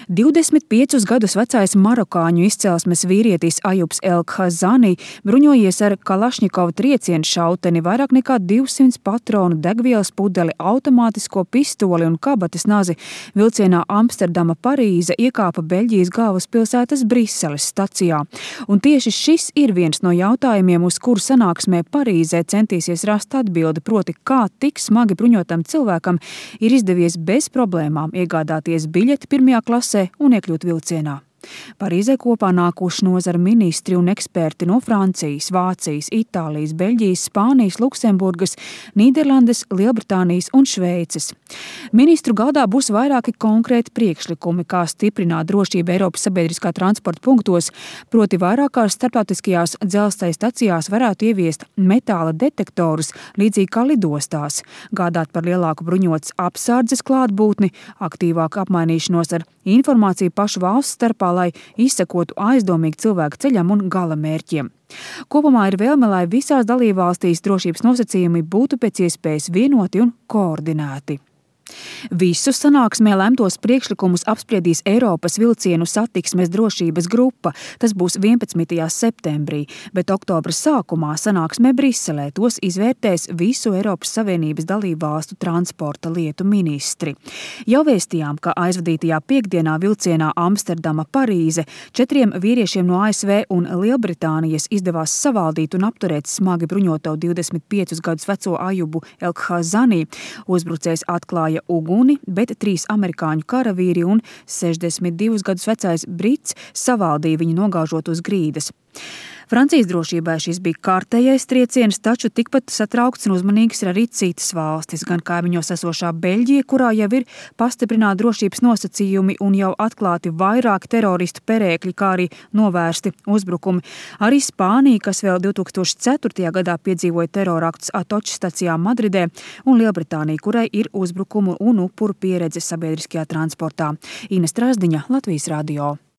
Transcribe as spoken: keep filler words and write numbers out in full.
divdesmit piecus gadus vecais marokāņu izcelsmes vīrietis Ajubs El-Khazani bruņojies ar Kalašņikova triecienu šauteni, vairāk nekā divsimt patronu, degvielas pudeli, automātisko pistoli un kabatas nazi vilcienā Amsterdama Parīze iekāpa Beļģijas galvaspilsētas Briseles stacijā. Un tieši šis ir viens no jautājumiem, uz kuru sanāksmē Parīzē centīsies rast atbildi, proti, kā tik smagi bruņotam cilvēkam ir izdevies bez problēmām iegādāties biļeti pirmajā klasē un iekļūt vilcienā. Parīzē kopā nākuši nozara ministri un eksperti no Francijas, Vācijas, Itālijas, Beļģijas, Spānijas, Luksemburgas, Nīderlandes, Lielbritānijas un Šveices. Ministru galdā būs vairāki konkrēti priekšlikumi, kā stiprināt drošību Eiropas sabiedriskā transporta punktos, proti vairākās starptautiskajās dzelzceļa stacijās varētu ieviest metāla detektorus, līdzīgi kā lidostās, gādāt par lielāku bruņotas apsardzes klātbūtni, aktīvāku apmainīšanos ar informāciju pašu valsts starpā, lai izsekotu aizdomīgi cilvēku ceļam un gala mērķiem. Kopumā ir vēlme, lai visās dalībvalstīs drošības nosacījumi būtu pēc iespējas vienoti un koordinēti. Visus sanāksmē lemtos priekšlikumus apspriedīs Eiropas vilcienu satiksmes drošības grupa. Tas būs vienpadsmitajā septembrī, bet oktobra sākumā sanāksmē Briselē tos izvērtēs visu Eiropas Savienības dalībvalstu transporta lietu ministri. Jau vēstījām, ka aizvadītajā piekdienā vilcienā Amsterdama Parīze četriem vīriešiem no A S V un Lielbritānijas izdevās savaldīt un apturēt smagi bruņoto divdesmit piecus gadus veco Ajubu El-Khazani. Uzbrucējs atklāja uguni, bet trīs amerikāņu karavīri un sešdesmit divus gadus vecais brits savaldīja viņu nogāžot uz grīdas. Francijas drošībai šis bija kārtējais trieciens, taču tikpat satraukts un uzmanīgs ir arī citas valstis, gan kaimiņos esošā Beļģija, kurā jau ir pastiprināti drošības nosacījumi un jau atklāti vairāki teroristu perēkļi, kā arī novērsti uzbrukumi. Arī Spānija, kas vēl divi tūkstoši ceturtajā gadā piedzīvoja teroraktus Atoču stacijā Madridē, un Lielbritānija, kurai ir uzbrukumu un upuru pieredze sabiedriskajā transportā. Ines Trasdiņa, Latvijas radio.